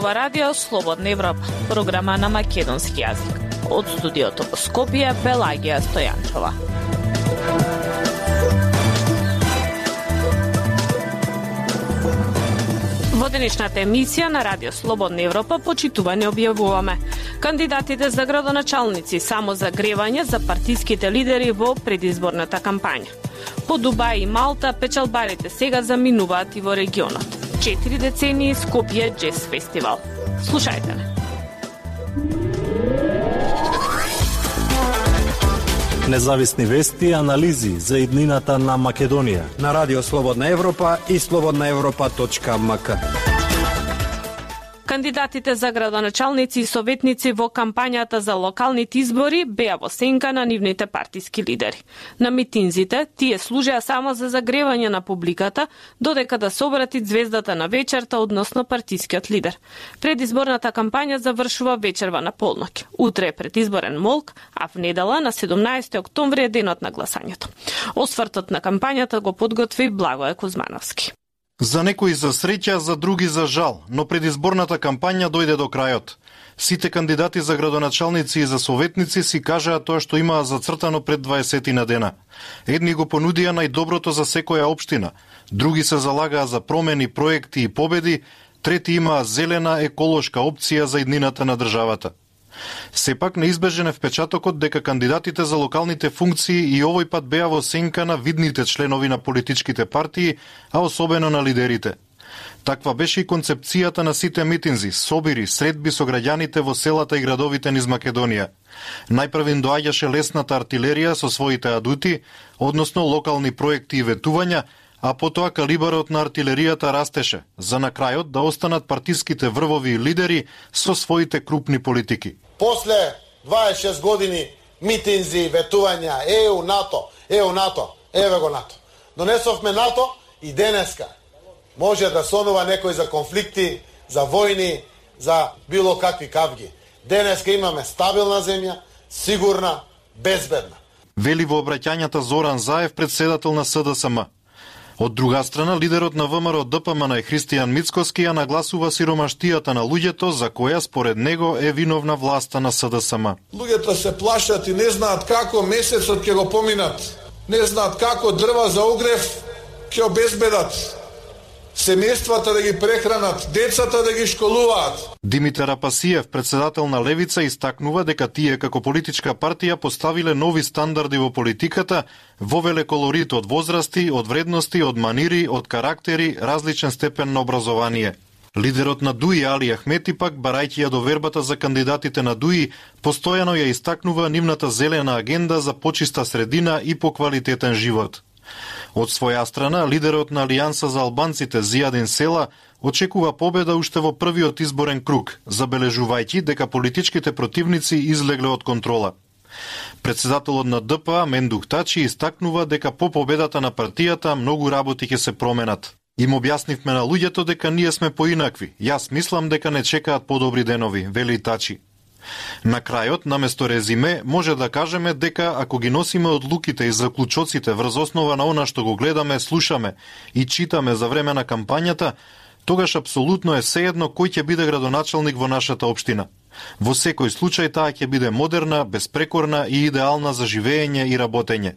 ова радио Слободна Европа, програма на македонски јазик. Од студиото во Скопје, Пелагија Стојанчова. Во денешната емисија на Радио Слободна Европа почитувани објавуваме кандидатите за градоначалници само за гревање за партиските лидери во предизборната кампања. По Дубај и Малта печалбарите сега заминуваат и во регионот. 4 децении Скопје Джез фестивал. Слушајте ме. Независни вести и анализи за иднината на Македонија на Радио Слободна Европа и slobodnaevropa.mk. Кандидатите за градоначалници и советници во кампањата за локалните избори беа во сенка на нивните партиски лидери. На митинзите тие служеа само за загревање на публиката, додека да се обрати звездата на вечерта, односно партискиот лидер. Предизборната кампања завршува вечерва на полноќ. Утре е предизборен молк, а в недела на 17 октомври е денот на гласањето. Освртот на кампањата го подготви Благое Кузмановски. За некои за среќа, за други за жал, но предизборната кампања дојде до крајот. Сите кандидати за градоначалници и за советници си кажаа тоа што имаа зацртано пред 20 на дена. Едни го понудија најдоброто за секоја општина, други се залагаа за промени, проекти и победи, трети имаа зелена еколошка опција за иднината на државата. Сепак неизбежен е впечатокот дека кандидатите за локалните функции и овој пат беа во сенка на видните членови на политичките партии, а особено на лидерите. Таква беше и концепцијата на сите митинзи, собири, средби со граѓаните во селата и градовите низ Македонија. Најпрв им доаѓаше лесната артилерија со своите адути, односно локални проекти и ветувања, а потоа калибарот на артилеријата растеше, за на крајот да останат партиските врвови и лидери со своите крупни политики. После 26 години митинзи, ветувања, НАТО, еве го НАТО. Донесовме НАТО и денеска може да сонува некој за конфликти, за војни, за било какви кавги. Денеска имаме стабилна земја, сигурна, безбедна. Вели во обраќањата Зоран Заев, председател на СДСМ. Од друга страна, лидерот на ВМРО ДПМН Христијан Мицкоски ја нагласува сиромаштијата на луѓето, за која според него е виновна власта на СДСМ. Луѓето се плашат и не знаат како месецот ќе го поминат. Не знаат како дрва за огрев ќе обезбедат. Семејствата да ги прехранат, децата да ги школуваат. Димитар Апасиев, председател на Левица, истакнува дека тие како политичка партија поставиле нови стандарди во политиката, вовеле колорит од возрасти, од вредности, од манири, од карактери, различен степен на образование. Лидерот на ДУИ Али Ахмети пак, барајќи ја довербата за кандидатите на ДУИ, постојано ја истакнува нивната зелена агенда за почиста средина и поквалитетен живот. Од своја страна, лидерот на Алијанса за албанците Зијадин Села очекува победа уште во првиот изборен круг, забележувајќи дека политичките противници излегле од контрола. Председателот на ДПА Мендух Тачи истакнува дека по победата на партијата многу работи ќе се променат. Им објаснивме на луѓето дека ние сме поинакви. Јас мислам дека не чекаат подобри денови, вели Тачи. На крајот, наместо резиме, може да кажеме дека ако ги носиме одлуките и заклучоците врз основа на она што го гледаме, слушаме и читаме за време на кампањата, тогаш апсолутно е сеедно кој ќе биде градоначалник во нашата општина. Во секој случај таа ќе биде модерна, безпрекорна и идеална за живење и работење.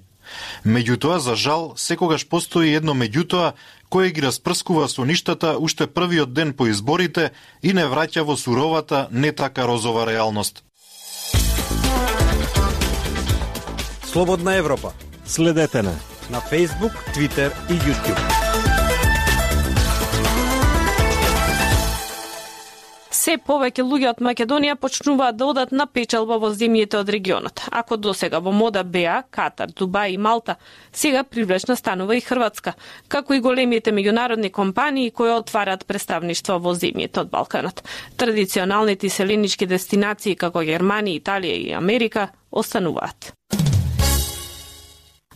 Меѓутоа, за жал, секогаш постои едно меѓутоа кое ги распрскува со ништата уште првиот ден по изборите и не враќа во суровата, не така розова реалност. Слободна Европа. Следете на Facebook, Twitter и YouTube. Се повеќе луѓе од Македонија почнуваат да одат на печалба во земјите од регионот. Ако досега во мода беа Катар, Дубај и Малта, сега привлечна станува и Хрватска, како и големите меѓународни компании кои отварат представништва во земјите од Балканот. Традиционалните селенички дестинации како Германија, Италија и Америка остануваат.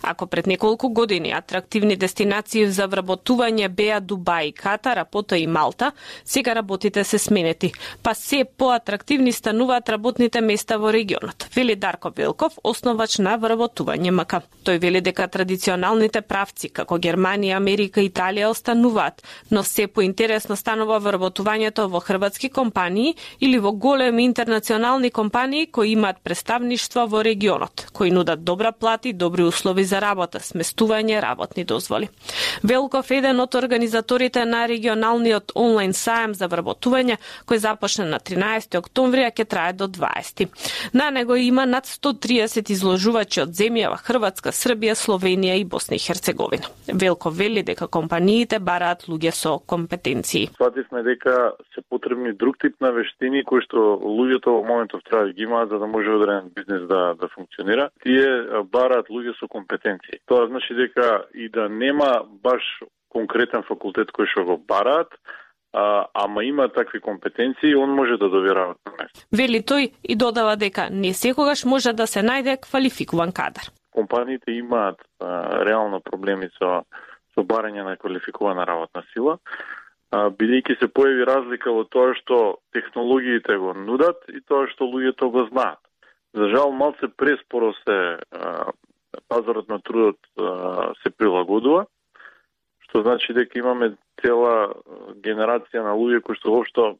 Ако пред неколку години атрактивни дестинации за вработување беа Дубај, Катар, а потоа и Малта, сега работите се сменети, па се поатрактивни стануваат работните места во регионот, вели Дарко Велков, основач на вработување МК. Тој вели дека традиционалните правци како Германија, Америка и Италија остануваат, но се поинтересно станува вработувањето во хрватски компании или во големи интернационални компании кои имаат представништва во регионот, кои нудат добра плата и добри услови за работа, сместување, работни дозволи. Велков е еден од организаторите на регионалниот онлайн сајам за вработување, кој започна на 13 октомври, а ќе трае до 20. На него има над 130 изложувачи од земјава Хрватска, Србија, Словенија и Босна и Херцеговина. Велков вели дека компаниите бараат луѓе со компетенции. Свативме дека се потребни друг тип на вештини кои што луѓето во моментов треба да ги имаат за да може одреден бизнес да функционира. Тие бараат луѓе со компетенции. Тоа значи дека и да нема баш конкретен факултет кој што го бараат, ама има такви компетенции, он може да добие работно место. Вели тој и додава дека не секогаш може да се најде квалификуван кадар. Компаниите имаат реално проблеми со барање на квалификувана работна сила, бидејќи се појави разлика во тоа што технологиите го нудат и тоа што луѓето го знаат. За жал, малце преспоро се пазарот на трудот се прилагодува, што значи дека имаме цела генерација на луѓе кои што воопшто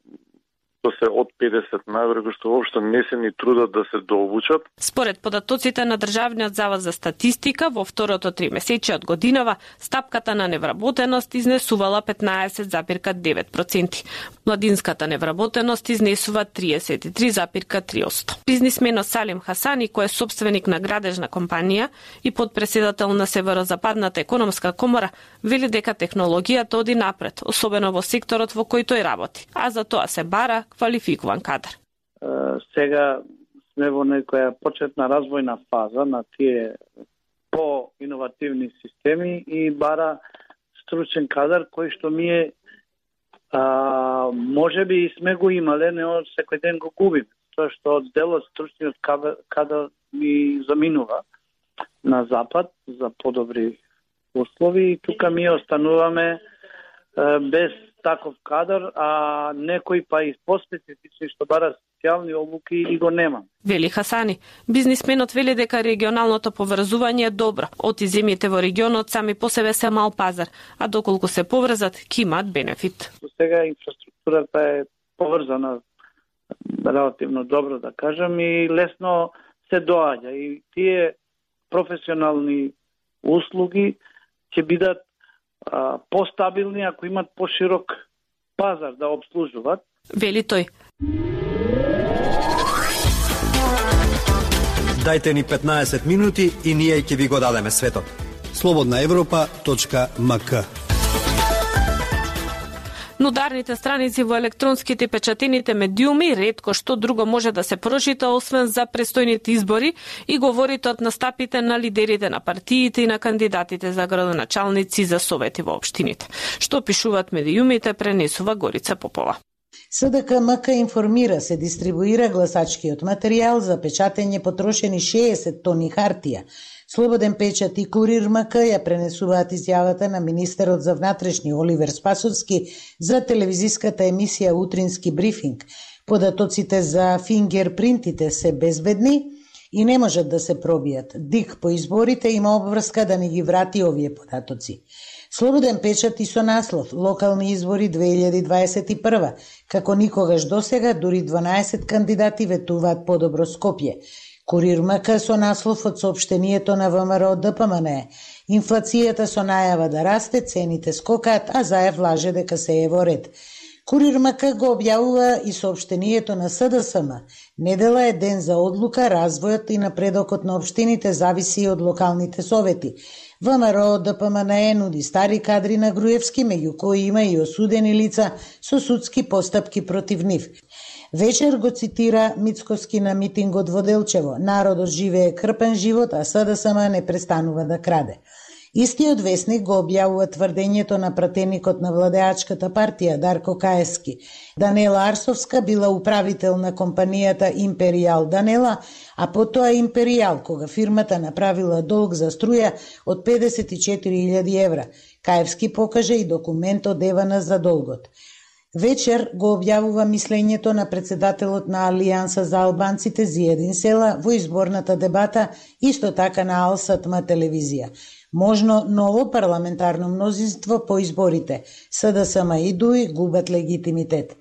се од 50 навре, кои што воопшто не се ни трудат да се дообучат. Според податоците на Државниот завод за статистика, во второто тримесечие од годинава, стапката на невработеност изнесувала 15,9%. Младинската невработеност изнесува 33,3%. Бизнисменот Салим Хасани, кој е собственик на градежна компанија и подпредседател на Северозападната економска комора, вели дека технологијата оди напред, особено во секторот во кој тој работи, а за тоа се бара квалификуван кадар. Сега сме во некоја почетна развојна фаза на тие по-иновативни системи и бара стручен кадар кој што ние може би сме го имале, но секој ден го губиме. Тоа што од делот стручниот кадар ми заминува на запад за подобри услови и тука ми остануваме без таков кадар, а некои па и поспецифични што бара специјални обуки и го нема. Вели Хасани, бизнисменот вели дека регионалното поврзување е добро. Оти земјите во регионот сами по себе се мал пазар, а доколку се поврзат, ќе имаат бенефит. Сега инфраструктурата е поврзана релативно добро, да кажам, и лесно се доаѓа. И тие професионални услуги ќе бидат постабилни ако имат поширок пазар да обслужуваат. Вели тој. Дајте ни 15 минути и ние ќе ви го дадеме светот. slobodnaevropa.mk. На ударните страници во електронските и печатените медиуми ретко што друго може да се прочита освен за престојните избори и говорите од настапите на лидерите на партиите и на кандидатите за градоначалници за совети во општините. Што пишуваат медиумите, пренесува Горица Попова. СДК-МК информира се дистрибуира гласачкиот материјал за печатење потрошени 60 тони хартија. Слободен печат и Курир МК ја пренесуваат изјавата на министерот за внатрешни Оливер Спасовски за телевизиската емисија Утрински брифинг. Податоците за фингерпринтите се безбедни и не можат да се пробијат. ДИК по изборите има обврска да не ги врати овие податоци. Слободен печат и со наслов Локални избори 2021. Како никогаш досега, дури 12 кандидати ветуваат подобро Скопје. Курир МК со наслов од соопштението на ВМРО ДПМН. Инфлацијата со најава да расте, цените скокаат, а Заев лаже дека се е во ред. Курир МК го објавува и соопштението на СДСМ. Недела е ден за одлука, развојот и напредокот на општините зависи од локалните совети. ВМРО ДПМН нуди стари кадри на Груевски, меѓу кои има и осудени лица со судски постапки против нив. Вечер го цитира Мицковски на митингот во Делчево. Народот живее крпен живот, а СДСМ не престанува да краде. Истиот весник го објавува тврдењето на пратеникот на владеачката партија Дарко Каески. Данела Арсовска била управител на компанијата Империјал Данела, а потоа Империјал, кога фирмата направила долг за струја од 54.000 евра. Каевски покажа и документ од Евана за долгот. Вечер го објавува мислењето на председателот на Алијанса за албанците Зиедин Села во изборната дебата, исто така на Ал Сатма телевизија. Можно ново парламентарно мнозинство по изборите. СДСМ и ДУИ губат легитимитет.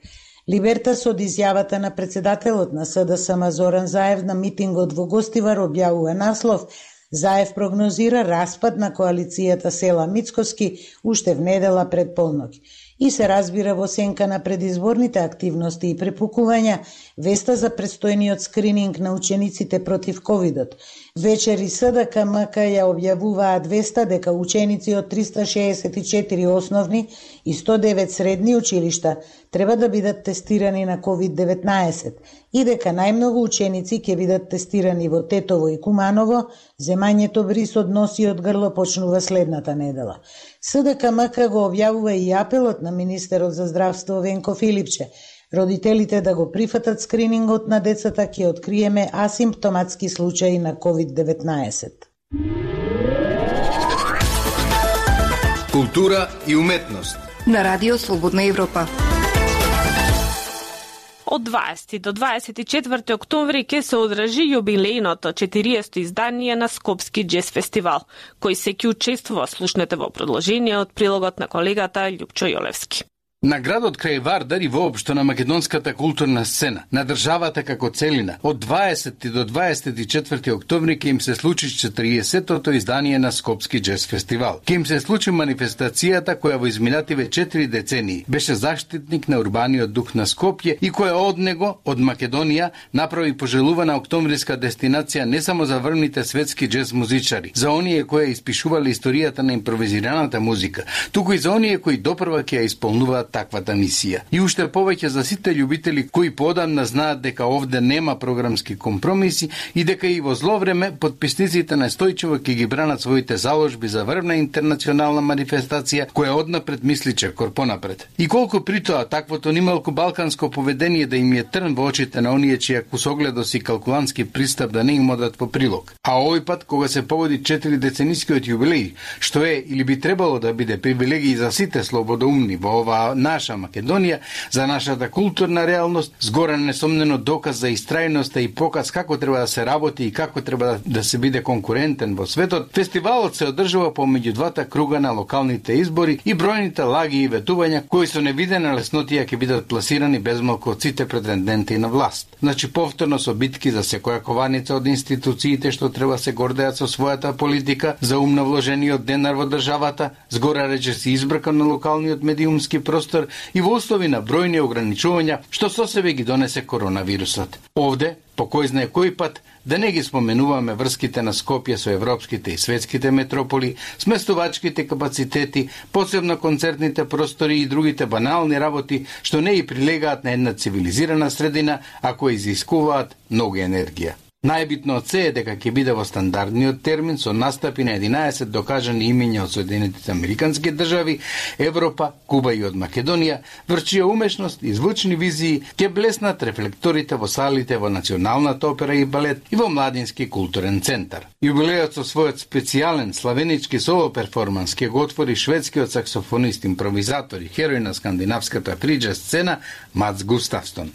Либертас од изјавата на председателот на СДСМ Зоран Заев на митингот во Гостивар објавува наслов: Заев прогнозира распад на коалицијата Села Мицкоски уште в недела пред полноќ. И се разбира во сенка на предизборните активности и препукувања веста за предстојниот скрининг на учениците против ковидот. Вечер и СДКМК ја објавуваат веста дека ученици од 364 основни и 109 средни училишта треба да бидат тестирани на COVID-19 и дека најмногу ученици ќе бидат тестирани во Тетово и Куманово. Земањето бриз од нос и од грло почнува следната недела. СДКМК го објавува и апелот на министерот за здравство Венко Филипче. Родителите да го прифатат скринингот на децата, ќе откриеме асимптоматски случаи на COVID-19. Култура и уметност на Радио Слободна Европа. Од 20 до 24 октомври ќе се одржи јубилејното 40-то издание на Скопски џез фестивал, кој се ќе учествува. Слушнете во продолжение од прилогот на колегата Љупчо Јолевски. На градот крај Вардар и воопшто на македонската културна сцена, на државата како целина, од 20 до 24 октомври ќе им се случи 40-тото издание на Скопски џез фестивал. Ќе им се случи манифестацијата која во изминативе 4 децении беше заштитник на урбаниот дух на Скопје и која од него, од Македонија, направи пожелувана октомвриска дестинација не само за врвните светски џез музичари, за оние кои испишувале историјата на импровизираната музика, туку и за оние кои допрва ќе ја исполнуваат таквата мисија. И уште повеќе за сите љубители кои поодамна знаат дека овде нема програмски компромиси и дека и во зло време потписниците настојчиво ќе ги бранат своите заложби за врвна интернационална манифестација која однапред мисли чекор понапред. И колку при тоа таквото нималку балканско поведение да им е трн во очите на оние чија кусогледост и калкулантски пристап да не им одат по прилог. А овој пат кога се погоди 4 деценискиот јубилеј, што е или би требало да биде привилегија за сите слободоумни во оваа наша Македонија, за нашата културна реалност, згора несомнено доказ за истрајноста и показ како треба да се работи и како треба да се биде конкурентен во светот, фестивалот се одржува помеѓу двата круга на локалните избори и бројните лаги и ветувања кои со невидена леснотија ќе бидат пласирани безмалку од сите претенденти на власт. Значи повторно со битки за секоја кованица од институциите што треба се гордеат со својата политика за умно вложениот денар во државата, згора речиси избркан на локалниот медиумски простор и во услови на бројни ограничувања што со себе ги донесе коронавирусот. Овде, по кој знае кој пат, да не ги споменуваме врските на Скопје со европските и светските метрополи, сместувачките капацитети, посебно концертните простори и другите банални работи што не и прилегаат на една цивилизирана средина, а кои изискуваат многу енергија. Најбитно од се е дека ќе биде во стандардниот термин со настапи на 11 докажани имиња од Соединетите Американски држави, Европа, Куба и од Македонија, врчија умешност и звучни визии ќе блеснат рефлекторите во салите во Националната опера и балет и во Младински културен центар. Јубилејот со својот специјален славенички соло перформанс ќе го отвори шведскиот саксофонист, импровизатор и херој на скандинавската фриџез сцена Мац Густавсон.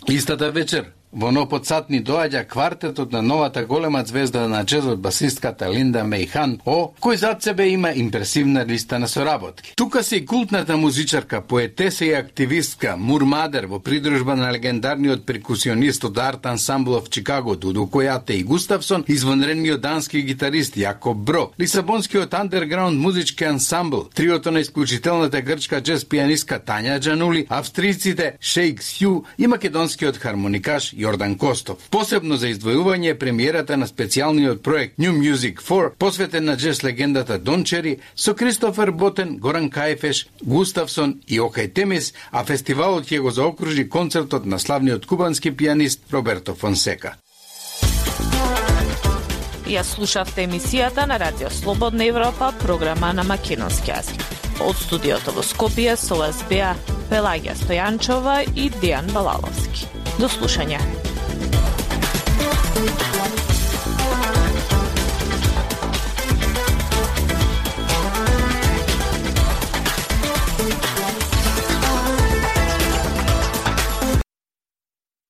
Истата вечер во Ноподсатни доаѓа квартетот на новата голема звезда на џезот басистката Линда Меј Хан О, кој зад себе има импресивна листа на соработки. Тука се и култната музичарка, поетеса и активистка Мур Мадер во придружба на легендарниот перкусионист од арт ансамблов Чикаго Дудо Којате и Густавсон, извонредниот дански гитарист Јакоб Бро, лисабонскиот андерграунд музички ансамбл, триото на исклучителната грчка џез пианистка Тања Џанули, австриците Шейк Сју и македонскиот хармоникаш Јордан Костов. Посебно за издвојување е премиерата на специјалниот проект New Music 4, посветен на џез легендата Дон Чери, со Кристофер Ботен, Горан Кајфеш, Густавсон и Окај Темис, а фестивалот ќе го заокружи концертот на славниот кубански пианист Роберто Фонсека. Ја слушавте емисијата на Радио Слободна Европа, програма на македонски јазик. Од студиото во Скопје со вас беа Пелагија Стојанчова и Дејан Балаловски. До слушање.